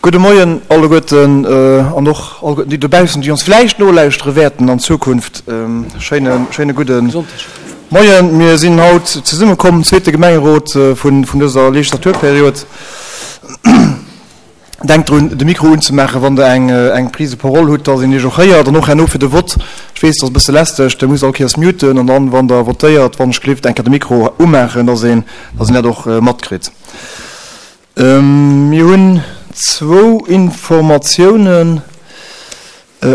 Gudde Moien alleguerten an och alleguerten déi dobaussen, déi ons vläicht nolauschtere wäerten an Zukunft. Schéine, schéine gudde Moien. Mir sinn haut zesummekomm, zweete Gemengerot vun dëser Legislaturperiod. Denkt drun, de Mikro unzemaachen, wann Der eng, eng Prise de parole hutt, dass een Iech och héiert. An och herno fir de Vott. Ech weess, dat ass e bësse lästeg, Der musst all Kéiers muten an dann, wann Der votéiert, wann ech gelift, eng Kéier de Mikro umaachen, dass een, dass een dat och matkritt. Mir hunn zwou Informatiounen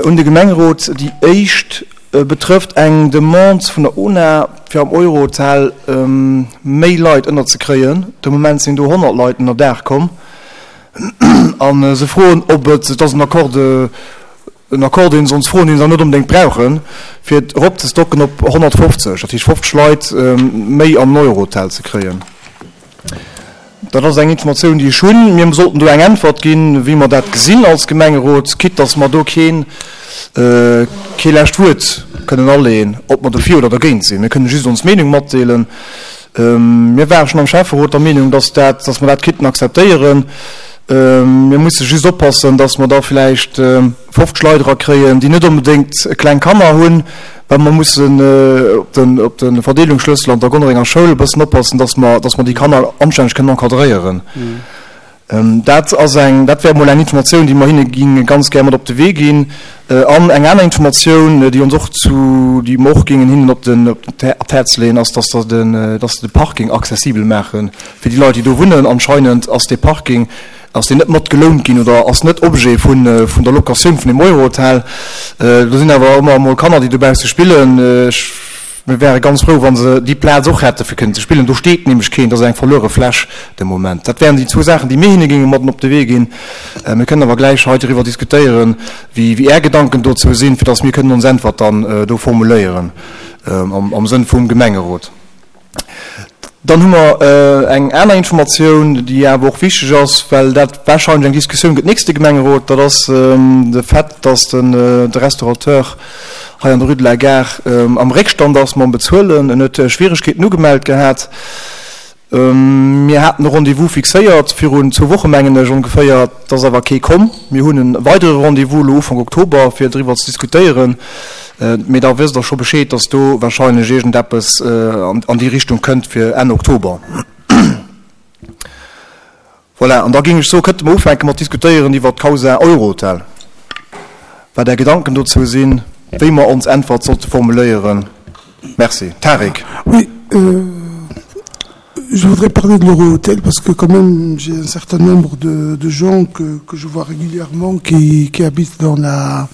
un de Gemengerot. Déi éischt betrëfft eng Demande vun der UNA, fir am Eurohotel méi Leit ënnerzekréien. De Moment sinn do 100 Leit ënnerdaach komm a se froen, ob et, et ass en Accord de, en Accord, deen se ons froen, deen se awer net onbedéngt brauchen, fir et eropzestocken op 150, dat heescht 50 Leit méi am Eurohotel ze kréien. Dat ass eng Informatioun, déi ech hunn. Mir sollten do eng Äntwert ginn, wéi mer dat gesinn als Gemengerot, quitte dass mer do keen, kee lescht Wuert kënnen aleeën, ob mer dofir oder dergéint sinn. Mir kënnen just ons Meenung matdeelen. Mir ware schonn am Schäfferot der Meenung, dass dat, dass mer dat kéinten akzeptéieren. Mir musse just oppassen, dass mer da vläicht 50 Leit erakréien, déi net onbedéngt kleng Kanner hunn, well mer mussen op den, op de Verdeelungsschlëssel an der Gonnerenger Schoul e bëssen oppassen, dass mer, dass mer déi Kanner anstänneg kënnen encadréieren. Dat ass eng, dat wär emol eng Informatioun, déi mer hinne géinge ganz gär mat op de Wee ginn. An eng aner Informatioun, déi ons och zu, déi mer och géingen hinnen op den, op d'Häerz leeën, ass, dass der den, dass se de Parking accessibel maache fir déi Leit, déi do wunnen. Anscheinend ass dee Parking, ass deen net mat gelount ginn oder ass net Objet vun, vun der Locatioun vun deem Eurohotel. Do sinn awer ëmmer emol Kanner, déi dobausse spillen. Ech, mir wäre ganz frou, wa se déi Plaz och hätte fir kënnen ze spillen. Do steet nämlech keen, dat ass eng verluere Fläch de Moment. Dat wären déi zwou Saachen, déi mir hinne géinge mat op de Wee ginn. Mir kënnen awer gläich hei doriwwer diskutéieren, wéi, wéi Är Gedanken dozou sinn, fir datt mir kënnen ons Äntwert dann do formuléieren am, am Sënn vum Gemengerot. Dann hu mer eng aner Informatioun, déi awer och wichteg ass, well dat wahrscheinlech eng Diskussioun gëtt nächste Gemengerot. Dat ass de Fait, dass de Restaurateur hei an der Rue de la Gare am Réckstand ass mam Bezuelen. En huet Schwieregkeeten ugemellt gehat. Mir haten e Rendez-vous fixéiert virun zwou Woche mengen ech ongeféier. Et ass awer kee komm. Mir hunn e weidere Rendez-vous elo Ufank Oktober, fir driwwer ze diskutéieren. Mee da wësst Der scho Bescheed, dass do wahrscheinlech iergendeppes an déi Richtung kënnt fir Enn Oktober. Voilà, an da géing ech soen, kënnte mer ufänke mat diskutéieren iwwert d'Causa Eurohotel, wat Är Gedanken dozou sinn, wéi mer ons Äntwert sollte formuléieren. Merci. Tarik. Oui, euh, je voudrais parler de l'Eurohotel parce que quand même j'ai un certain nombre de, de gens que, que je vois régulièrement qui, qui habitent dans la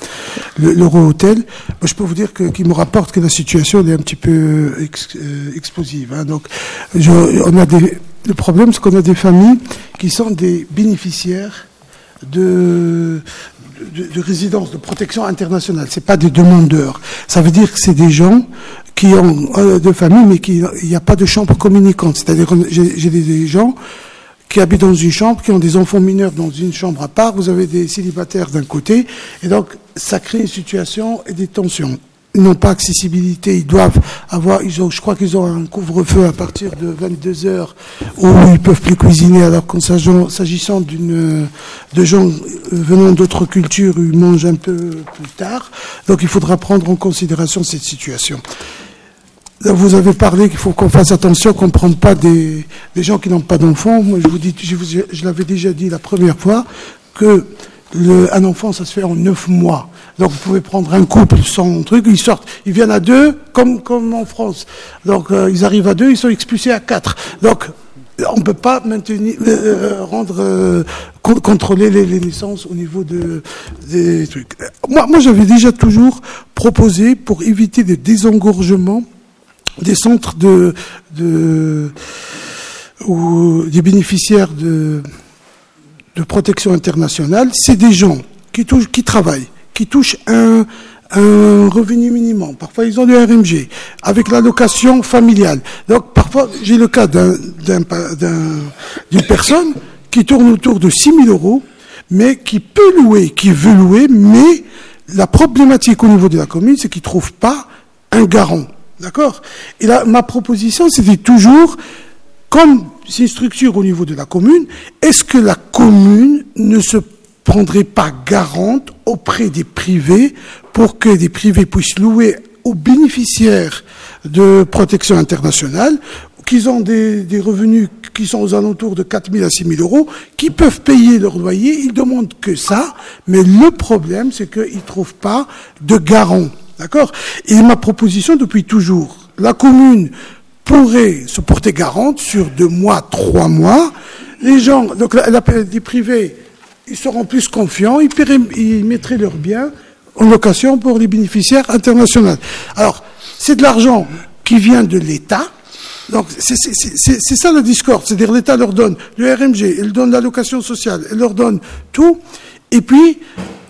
l'Eurohotel. Je peux vous dire que qui me rapporte que la situation est un petit peu ex, euh, explosive. Hein. Donc je, on a des, le problème c'est qu'on a des familles qui sont des bénéficiaires de, de, de résidence de protection internationale c'est pas des demandeurs ça veut dire que c'est des gens qui ont euh, de famille mais qui il n'y a pas de chambre communicante c'est à dire j'ai des, des gens qui habitent dans une chambre qui ont des enfants mineurs dans une chambre à part vous avez des célibataires d'un côté et donc ça crée une situation et des tensions n'ont pas accessibilité, ils doivent avoir, ils ont, je crois qu'ils ont un couvre-feu à partir de 22 heures où ils peuvent plus cuisiner, alors qu'en s'agissant d'une, de gens venant d'autres cultures, ils mangent un peu plus tard. Donc il faudra prendre en considération cette situation. Vous avez parlé qu'il faut qu'on fasse attention, qu'on ne prenne pas des, des gens qui n'ont pas d'enfants. Moi, je vous dis, je, vous, je l'avais déjà dit la première fois, que le, un enfant, ça se fait en neuf mois. Donc vous pouvez prendre un couple sans truc, ils sortent, ils viennent à deux, comme, comme en France. Donc euh, ils arrivent à deux, ils sont expulsés à quatre. Donc on ne peut pas maintenir, euh, rendre, euh, contrôler les, les naissances au niveau de, des trucs. Moi, moi j'avais déjà toujours proposé pour éviter des désengorgements des centres de, de, ou des bénéficiaires de, de protection internationale, c'est des gens qui, touchent, qui travaillent, qui touchent un, un revenu minimum. Parfois, ils ont du RMG, avec l'allocation familiale. Donc, parfois, j'ai le cas d'une un, personne qui tourne autour de 6 000 euros, mais qui peut louer, qui veut louer, mais la problématique au niveau de la commune, c'est qu'il ne trouve pas un garant. D'accord Et là, ma proposition, c'était toujours, comme c'est une structure au niveau de la commune, est-ce que la commune ne se... prendrait pas garante auprès des privés pour que des privés puissent louer aux bénéficiaires de protection internationale qu'ils ont des, des revenus qui sont aux alentours de 4 000 à 6 000 euros, qui peuvent payer leur loyer, ils demandent que ça, mais le problème, c'est qu'ils ne trouvent pas de garant. D'accord Et ma proposition depuis toujours, la commune pourrait se porter garante sur deux mois, trois mois. Les gens, donc la, la, les privés, ils seront plus confiants, ils, paieraient, ils mettraient leurs biens en location pour les bénéficiaires internationaux. Alors, c'est de l'argent qui vient de l'État. Donc c'est ça la discorde, c'est-à-dire l'État leur donne le RMG, il donne l'allocation sociale, il leur donne tout, et puis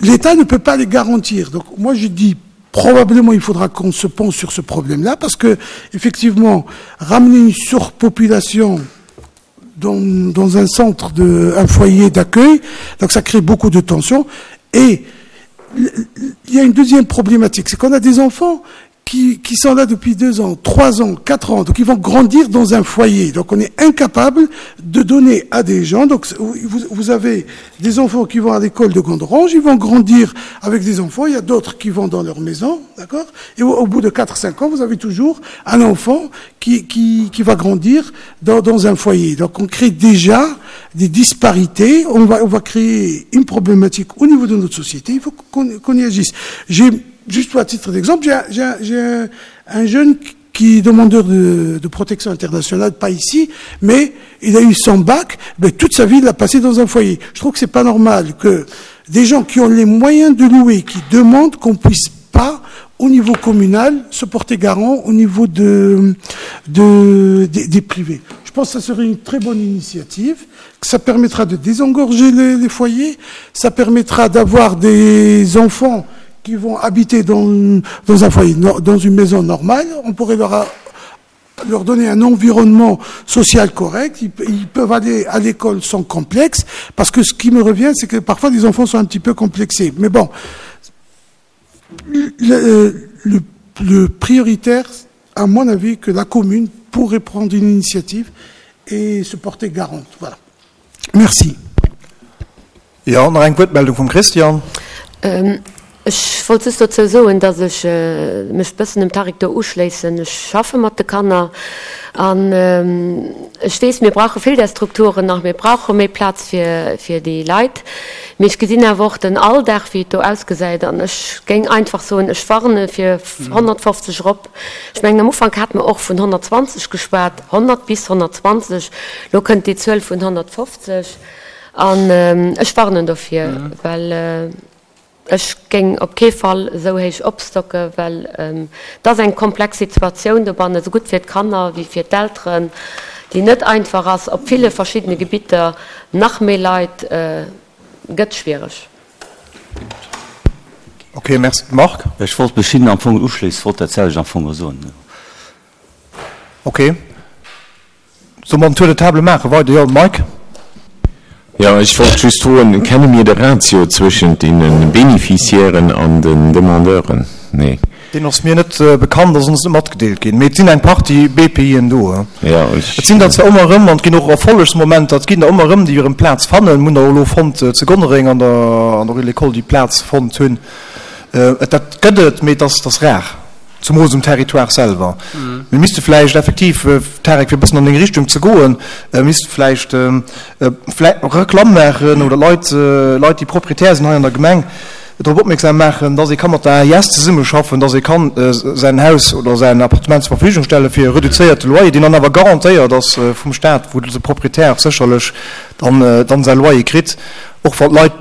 l'État ne peut pas les garantir. Donc moi je dis probablement il faudra qu'on se pense sur ce problème-là, parce que effectivement, ramener une surpopulation dans, dans un centre, de, un foyer d'accueil, donc ça crée beaucoup de tensions. Et il y a une deuxième problématique, c'est qu'on a des enfants qui, qui sont là depuis deux ans, trois ans, quatre ans, donc ils vont grandir dans un foyer. Donc on est incapable de donner à des gens. Donc vous, vous avez des enfants qui vont à l'école de Gondrange, ils vont grandir avec des enfants, il y a d'autres qui vont dans leur maison, d'accord Et au, au bout de quatre, cinq ans, vous avez toujours un enfant qui, qui, qui va grandir dans, dans un foyer. Donc on crée déjà des disparités, on va, on va créer une problématique au niveau de notre société, il faut qu'on qu y agisse. J'ai juste à titre d'exemple, j'ai un, un jeune qui est demandeur de, de protection internationale, pas ici, mais il a eu son bac, mais toute sa vie, il l'a passé dans un foyer. Je trouve que c'est pas normal que des gens qui ont les moyens de louer, qui demandent qu'on puisse pas, au niveau communal, se porter garant au niveau de, de, des, des privés. Je pense que ça serait une très bonne initiative, que ça permettra de désengorger les, les foyers, ça permettra d'avoir des enfants qui vont habiter dans, dans un foyer, dans une maison normale, on pourrait leur, leur donner un environnement social correct, ils, ils peuvent aller à l'école sans complexe, parce que ce qui me revient, c'est que parfois les enfants sont un petit peu complexés. Mais bon, le, le, le prioritaire, à mon avis, que la commune pourrait prendre une initiative et se porter garante. Voilà. Merci. Jo, nach eng Wuertmeldung vum Christian. Ech wollt just dozou soen, dass ech mech bëssen dem Tarik do uschléissen. Ech schaffe mat de Kanner an ech weess, mir brauche vill där Strukturen nach, mir brauche méi Plaz fir fir déi Leit. Mee ech gesinn awer och den Alldag, wéi et do ausgesäit an ech géing einfach soen, ech warne fir 150 erop. Ech mengen, am Ufank hate mer och vun 120 geschwat, 100 bis 120, elo kënnt déi Zuel vun 150. An ech warnen dofir, well ech géing op kee Fall esou héich opstocke, well et ass eng komplex Situatioun dobannen, esou gutt fir d'Kanner wéi fir d'Elteren, déi net einfach ass. Op ville verschiddene Gebitter nach méi Leit gëtt schwiereg. Ok, merci. Marc? Ech wollt mech hinnen am Fong uschléissen, wollt dat selwecht am Fong och soen. Ok. Solle mer en Tour de table maachen? Weider, jo, Mike? Jo, ech wollt just froen, Kenne mir de Ratio zwëschent deene Bénéficiairen an den Demandeuren? Nee. Deen ass mir net bekannt, ass ons net matgedeelt ginn. Mee et sinn eng Partie BPIen do. Jo, ech. Et sinn der zwar ëmmer erëm, an et ginn och Erfollegsmomenter, et ginn der ëmmer erëm, déi erëm Plaz fannen. Mir hunn der och elo fonnt zu Gonnereng an der an der Rue de l'École, déi Plaz fonnt hunn. Et dat gëtt et, mee et ass, et ass rar. Zumools um Territoire selwer. Mir misste vläicht effektiv, Tarek, fir e bëssen an deng Richtung ze goen, misste vläicht Reklamm maachen oder Leit, Leit, déi Proprietär sinn hei an der Gemeng, drop opmierksam maachen, dass ee ka mat der AIS zesummeschaffen, dass ee kann säin Haus oder säin Appartement zur Verfügung stelle fir e reduzéierte Loyer, deen dann awer garantéiert ass vum Stat, wou de Proprietär sécherlech dann, dann säi Loyer kritt, och wann d'Leit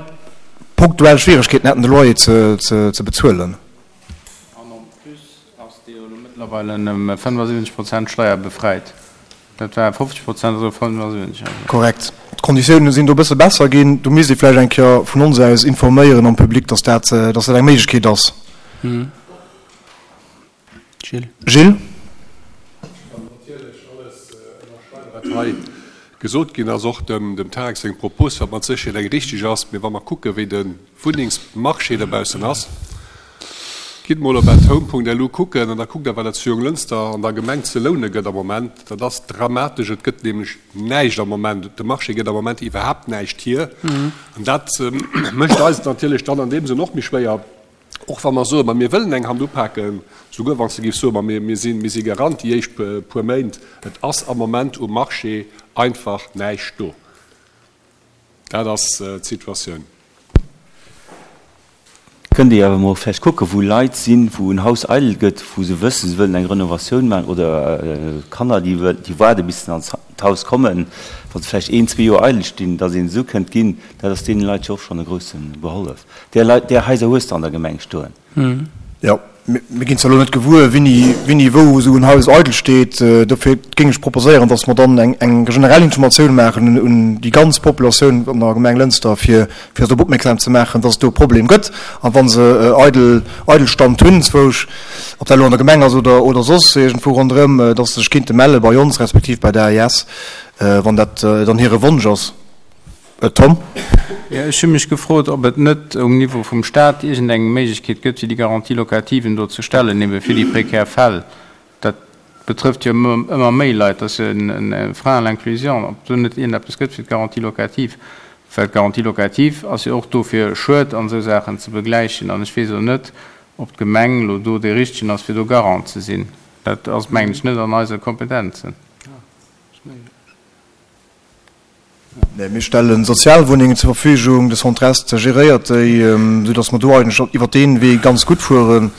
punktuell Schwieregkeeten hätten, de Loyer ze bezuelen. An en plus ass dee jo elo mëttlerweil ëm 75 Prozent steierbefreit. Dat war 50 Prozent, ass elo 75. Also. Korrekt. D'Konditiounen sinn do e bësse besser ginn. Do misst ee vläicht eng Kéier vun ons aus informéieren am Public, dass dat, dass dat eng Méiglechkeet ass. Gilles. Gilles. Ech kann natierlech alles ënnerschreiwen, wat hei gesot ginn ass, och dem Tarek seng Propos, wat mat Sécherheet eng richteg ass. Mee wa mer kucken, wéi de Wunnengsmarché dobaussen ass. Gitt mol op athome.lu kucken an da kuckt der, wat et zu Jonglënster an der Gemeng ze loune gëtt am Moment. Dat ass dramatesch. Et gëtt nämlech näischt am Moment. De Marché gëtt am Moment iwwerhaapt näischt hier. An dat mécht eis et natierlech dann an deem Sënn och méi schwéier, och wa mer soen, ma mir wëllen eng Hand upaken, souguer wann s de géifs soen, ma mir sinn, mir si Garant déi éischt puer Méint. Et ass am Moment um Marché einfach näischt do. Dat ass d'Situatioun. Kënnt Dir awer mol vläicht kucken, wou Leit sinn, wou en Haus eidel gëtt, wou se wëssen, se wëllen eng Renovatioun maachen oder Kanner, déi déi waarde bis se an d'Haus kommen, wa se vläicht een, zwee Joer eidel stinn, datt een esou kënnt ginn, dat ass deene Leit jo och schonn e grousse Behollef. Där Leit, där Haiser hues de an der Gemeng stoen. Jo, mir ginn zwar elo net gewuer, wéini, wéini wou esou en Haus eidel steet. Dofir géing ech proposéieren, dass mer dann eng, eng generell Informatioun maachen un déi ganz Populatioun an der Gemeng Lënster, fir, fir se drop opmierksam ze maachen, dass et do e Problem gëtt. A wa se eidel, Eidelstand hunn, zwousch, ob dat elo an der Gemeng ass oder, oder soss iergendwou ronderëm, dass se sech kinnte melle bei ons respektiv bei der AIS, wann dat dann hire Wonsch ass. Tom? Jo, ech hu mech gefrot, ob et net um Niveau vum Stat iergendeng Méiglechkeet gëtt, fir déi Garantie-locativen do ze stellen, ebe fir déi prekär Fäll. Dat betrëfft jo ëmmer méi Leit, dat ass jo e Frein à l'inclusion, ob do net iergendeppes gëtt fir d'Garantie locative. Well d'Garantie locative ass jo och do, fir Schued an esou Saachen ze begläichen. An ech weess elo net, ob d'Gemeng elo do dee Richtegen ass, fir do Garant ze sinn. Dat ass, mengen ech, net an eise Kompetenzen. Nee, mir stelle Sozialwunnengen zur Verfügung, de Centre Est geréiert déi, soudass mer do eigentlech iwwert dee Wee ganz gutt fueren.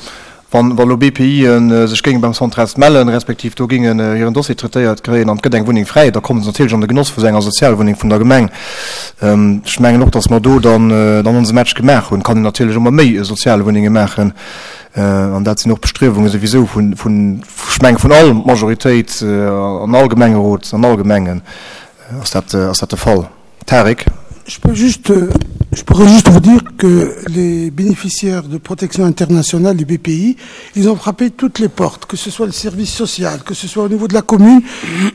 Wann elo BPIe sech géinge beim Centre Est mellen, respektiv do géingen hiren Dossier traitéiert kréien an et gëtt eng Wunneng fräi, da komme se natierlech an de Genoss vu sou enger Sozialwunneng vun der Gemeng. Ech mengen och, dass mer do dann onse Match gemaach hunn. Et kann een natierlech ëmmer méi Sozialwunnenge maachen an dat sinn och Bestriewunge souwisou vun, ech mengen, vun all Majoritéit an all Gemengerot, an all Gemengen. Ass dat, ass dat de Fall? Tarik? Je peux juste, je pourrais juste vous dire que les bénéficiaires de protection internationale du BPI, ils ont frappé toutes les portes, que ce soit le service social, que ce soit au niveau de la commune,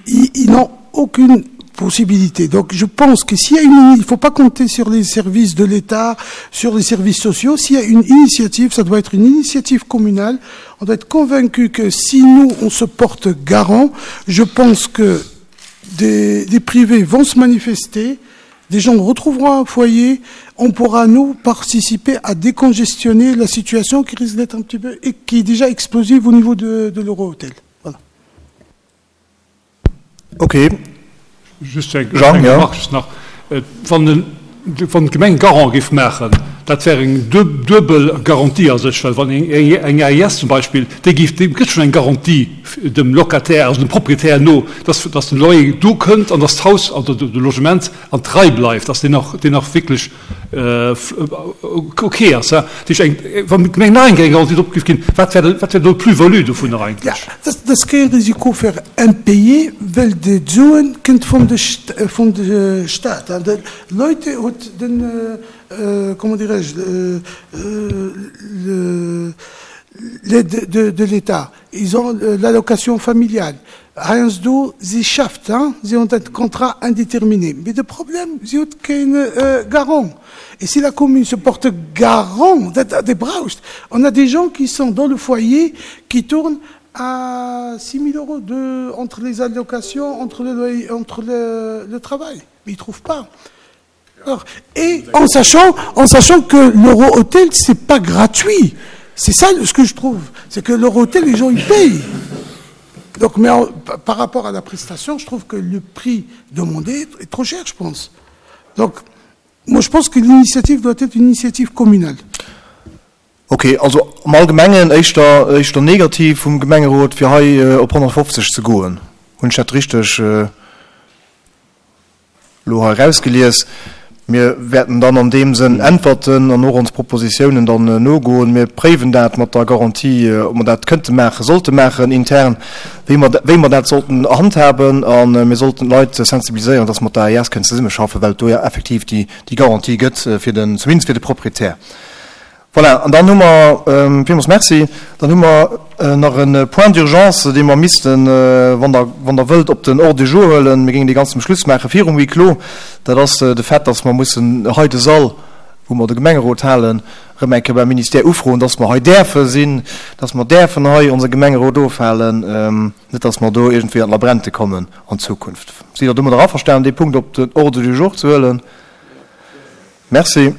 ils, ils n'ont aucune possibilité. Donc je pense que s'il y a une, il faut pas compter sur les services de l'État, sur les services sociaux, s'il y a une initiative, ça doit être une initiative communale. On doit être convaincu que si nous, on se porte garant, je pense que des, des privés vont se manifester, des gens retrouveront un foyer, on pourra nous participer à décongestionner la situation qui risque d'être un petit peu et qui est déjà explosive au niveau de, de l'Eurohôtel. Voilà. Ok. Just eng Jean, ja. Remarque just nach. Äh, wann den wann d'Gemeng Garant géif maachen, dat wär eng duebel Garantie a sech, well wann eng AIS zum Beispill, déi géif, déi gëtt schonn eng Garantie dem Locataire, also dem Proprietär no, dass, dass den Loyer do kënnt an dass d'Haus, also de Logement an d'Rei bleift, dass deen och, deen och wierklech ok ass. Dat heescht, eng, wann d'Gemeng nach eng Kéier eng Garantie drop géif ginn, wat wär, wat wär do d'Plus-value dovunner eigentlech? Dat ass kee Risiko fir Impayé, well de d'Suen kënnt vun de vun de Staat. An de Leute huet den, comment dirais-je, le l'aide de de l'État. Ils ont l'allocation familiale. Heiansdo si schafft, si hunn dat Contrat indéterminé. Mee de Problem, si huet keen Garant. Et si la commune se porte garant, dat dat braucht. On a des gens qui sont dans le foyer, qui tournent à 6 000 euros de, entre les allocations, entre le loyer, entre le, le travail. Mais ils trouvent pas. Alors, et en sachant, en sachant que l'euro-hôtel, c'est pas gratuit. C'est ça ce que je trouve. C'est que l'euro-hôtel, les gens, ils payent. Donc, mais en, par rapport à la prestation, je trouve que le prix demandé est trop cher, je pense. Donc, moi, je pense que l'initiative doit être une initiative communale. Ok, also am Allgemengen éischter, éischter negativ vum Gemengerot, fir hei op 150 ze goen. Hunn ech dat richteg elo hei erausgelies? Mir wäerten dann an deem Sënn äntwerten an och ons Propositiounen dann nogoen. Mir préiwen dat mat der Garantie, ob mer dat kënnte maachen, sollte maachen intern, wéi mer, wéi mer dat sollten handhaben. A mir sollten d'Leit sensibiliséieren, dass mer mat der AES kënnen zesummeschaffen, well et do jo effektiv déi, déi Garantie gëtt fir den, zumindest fir de Proprietär. Voilà, an dann hu mer, villmools Merci, dann hu mer nach e Point d'urgence, dee mer missten, wann Der, wann Der wëllt, op den Ordre du jour huelen. Mir géingen dee ganz zum Schluss maachen, virum Huis clos. Dat ass de Fait, dass mer mussen hei de Sall, wou. wou mer de Gemengerot halen, erëm eng Kéier beim Ministère ufroen, dass mer hei däerfe sinn, dass mer däerfen hei onse Gemengerot ofhalen, net dass mer do iergendwéi an d'Labrente kommen an Zukunft. Sidd Der domadder averstanen, dee Punkt op den Ordre du jour ze huelen? Merci.